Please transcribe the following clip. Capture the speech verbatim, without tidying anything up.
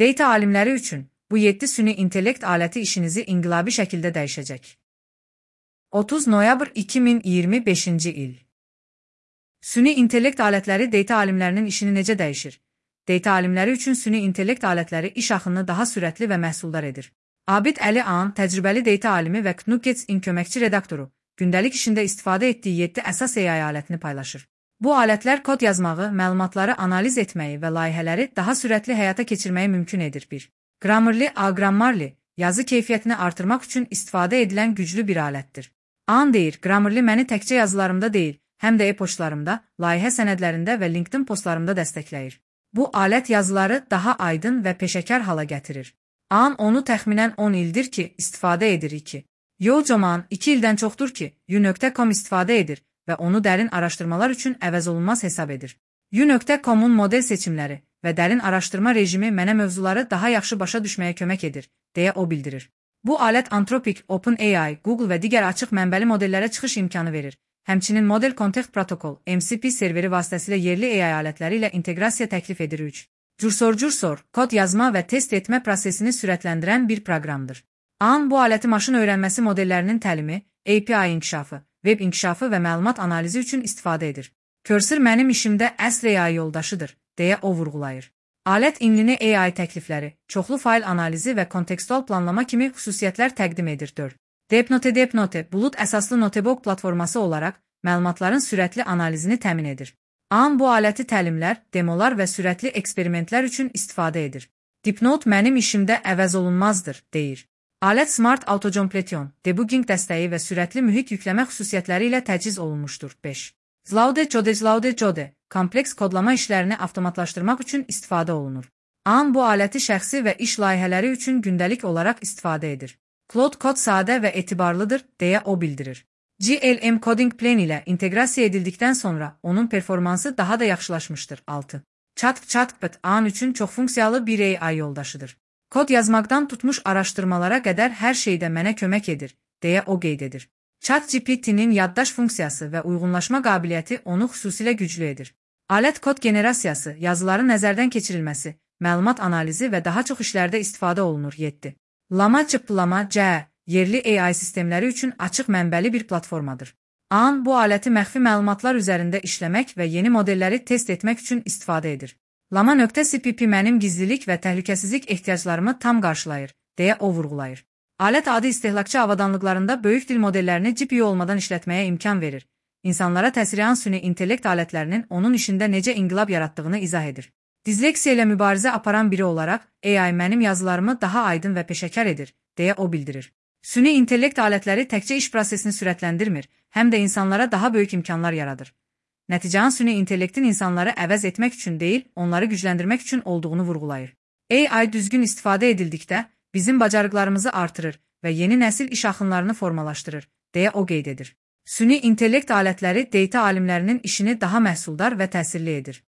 Data alimləri üçün bu yeddi süni intellekt aləti işinizi inqilabi şəkildə dəyişəcək. otuz noyabr iki min iyirmi beşinci il. Süni intellekt alətləri data alimlərinin işini necə dəyişir? Data alimləri üçün süni intellekt alətləri iş axınını daha sürətli və məhsuldar edir. Abid Əli Ağan, təcrübəli data alimi və Knuckets-in köməkçi redaktoru, gündəlik işində istifadə etdiyi yeddi əsas A I alətini paylaşır. Bu alətlər kod yazmağı, məlumatları analiz etməyi və layihələri daha sürətli həyata keçirməyi mümkün edir. bir. Grammarly A Grammarly, yazı keyfiyyətini artırmaq üçün istifadə edilən güclü bir alətdir. Ağan deyir, Grammarly məni təkcə yazılarımda deyil, həm də e-poçtlarımda, layihə sənədlərində və LinkedIn postlarımda dəstəkləyir. Bu alət yazıları daha aydın və peşəkar hala gətirir. Ağan onu təxminən on ildir ki, istifadə edir. iki. Yojoman iki ildən çoxdur ki, u nöqtə com istifadə edir və onu dərin araşdırmalar üçün əvəzolunmaz hesab edir. u nöqtə com-un model seçimləri və dərin araşdırma rejimi mənə mövzuları daha yaxşı başa düşməyə kömək edir, deyə o bildirir. Bu alət Anthropic, OpenAI, Google və digər açıq mənbəli modellərə çıxış imkanı verir. Həmçinin Model Context Protocol, M C P serveri vasitəsilə yerli A I alətləri ilə inteqrasiya təklif edir. üç. Cursor-Cursor, kod yazma və test etmə prosesini sürətləndirən bir proqramdır. Ağan bu aləti maşın öyrənməsi modellərinin təlimi, A P I inkişafı, web inkişafı və məlumat analizi üçün istifadə edir. Cursor mənim işimdə əsl A I yoldaşıdır, deyə o vurğulayır. Alət inline A I təklifləri, çoxlu fayl analizi və kontekstual planlama kimi xüsusiyyətlər təqdim edir. dörd. DeepNote DeepNote, bulut əsaslı notebook platforması olaraq məlumatların sürətli analizini təmin edir. Ağan bu aləti təlimlər, demolar və sürətli eksperimentlər üçün istifadə edir. DeepNote mənim işimdə əvəzolunmazdır, deyir. Alət Smart Autocompletion, debugging dəstəyi və sürətli mühit yükləmə xüsusiyyətləri ilə təchiz olunmuşdur. beş. Zlaude Code Zlaude Code, kompleks kodlama işlərini avtomatlaşdırmaq üçün istifadə olunur. Ağan bu aləti şəxsi və iş layihələri üçün gündəlik olaraq istifadə edir. Cloud kod sadə və etibarlıdır, deyə o bildirir. G L M Coding Plan ilə inteqrasiya edildikdən sonra onun performansı daha da yaxşılaşmışdır. altı. ChatGPT Ağan üçün çox funksiyalı bir A I yoldaşıdır. Kod yazmaqdan tutmuş araşdırmalara qədər hər şeydə mənə kömək edir, deyə o qeyd edir. ChatGPT-nin yaddaş funksiyası və uyğunlaşma qabiliyyəti onu xüsusilə güclü edir. Alət kod generasiyası, yazıların nəzərdən keçirilməsi, məlumat analizi və daha çox işlərdə istifadə olunur. yeddi. Llama Llama C, yerli A I sistemləri üçün açıq mənbəli bir platformadır. Ağan bu aləti məxfi məlumatlar üzərində işləmək və yeni modelləri test etmək üçün istifadə edir. Llama.cpp mənim gizlilik və təhlükəsizlik ehtiyaclarımı tam qarşılayır, deyə o vurğulayır. Alət adi istehlakçı avadanlıqlarında böyük dil modellərini G P U olmadan işlətməyə imkan verir. İnsanlara təsirləyən süni intellekt alətlərinin onun işində necə inqilab yaratdığını izah edir. Disleksiya ilə mübarizə aparan biri olaraq, A I mənim yazılarımı daha aydın və peşəkar edir, deyə o bildirir. Süni intellekt alətləri təkcə iş prosesini sürətləndirmir, həm də insanlara daha böyük imkanlar yaradır. Nəticənin süni intellektin insanları əvəz etmək üçün deyil, onları gücləndirmək üçün olduğunu vurğulayır. A I düzgün istifadə edildikdə, bizim bacarıqlarımızı artırır və yeni nəsil iş axınlarını formalaşdırır, deyə o qeyd edir. Süni intellekt alətləri data alimlərinin işini daha məhsuldar və təsirli edir.